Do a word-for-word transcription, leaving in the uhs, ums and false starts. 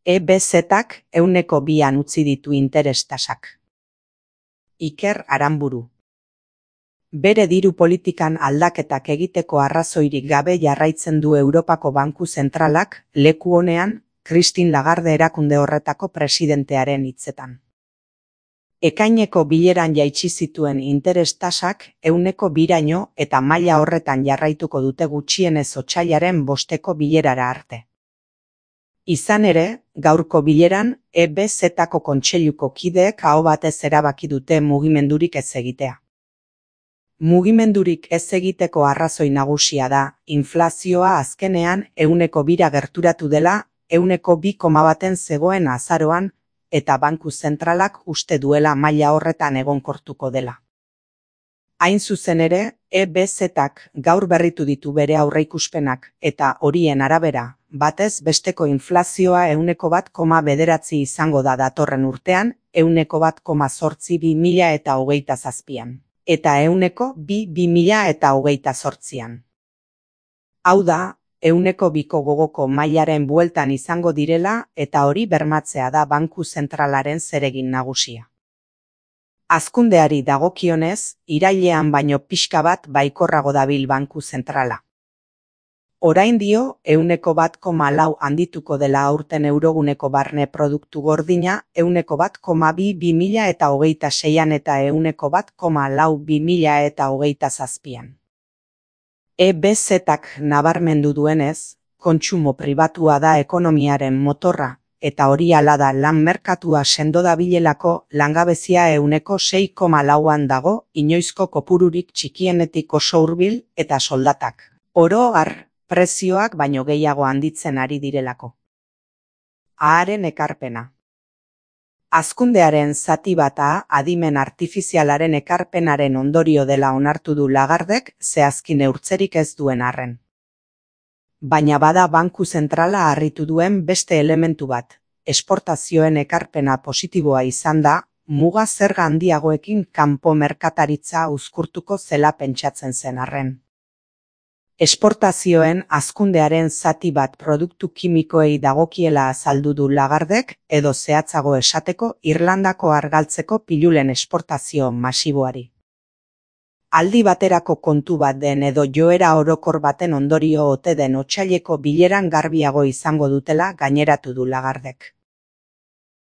E B Z-ak ehuneko bian utzi ditu interes tasak. Iker Aranburu. Bere diru politikan aldaketak egiteko arrazoirik gabe jarraitzen du Europako Banku Zentralak, leku honean, Christine Lagarde erakunde horretako presidentearen hitzetan. Ekaineko bileran jaitsi zituen interes tasak ehuneko biraino eta maila horretan jarraituko dute gutxienez otsailaren bosteko bilerara arte. Izan ere, gaurko bileran E B Z-ko kontseiluko kideek aho batez erabaki dute mugimendurik ez egitea. Mugimendurik ez egiteko arrazoi nagusia da, inflazioa azkenean ehuneko bira gerturatu dela, ehuneko bi koma baten zegoen azaroan, eta Banku Zentralak uste duela maila horretan egonkortuko dela. Hain zuzen ere, E B Z-ak gaur berritu ditu bere aurreikuspenak eta horien arabera, batez besteko inflazioa ehuneko bat koma bederatzi izango da datorren urtean, ehuneko bat koma zortzi bi mila eta hogeita zazpian, eta ehuneko bi bi mila eta hogeita zortzian. Hau da, ehuneko biko gogoko mailaren bueltan izango direla eta hori bermatzea da Banku Zentralaren zeregin nagusia. Hazkundeari dagokionez, irailean baino pixka bat baikorrago dabil Banku Zentrala. Orain dio, ehuneko bat koma lau handituko dela aurten euroguneko barne produktu gordina, ehuneko bat koma bi bi mila eta hogeita seian eta ehuneko bat koma lau bi mila eta hogeita zazpian. E B Z-ak nabarmendu duenez, kontsumo pribatua da ekonomiaren motorra, eta hori hala da lan merkatua sendo dabilelako langabezia ehuneko sei koma lauan dago, inoizko kopururik txikienetik oso hurbil eta soldatak, oro har, prezioak baino gehiago handitzen ari direlako. Aharen ekarpena. Hazkundearen zati bata adimen artifizialaren ekarpenaren ondorio dela onartu du Lagardek zehazki neurtzerik ez duen arren. Baina bada Banku Zentrala harritu duen beste elementu bat, esportazioen ekarpena positiboa izan da, muga zerga handiagoekin kanpo merkataritza uzkurtuko zela pentsatzen zen arren. Esportazioen hazkundearen zati bat produktu kimikoei dagokiela azaldu du Lagardek edo zehatzago esateko Irlandako argaltzeko pilulen esportazio masiboari. Aldi baterako kontu bat den edo joera orokor baten ondorio ote den otsaileko bileran garbiago izango dutela gaineratu du Lagardek.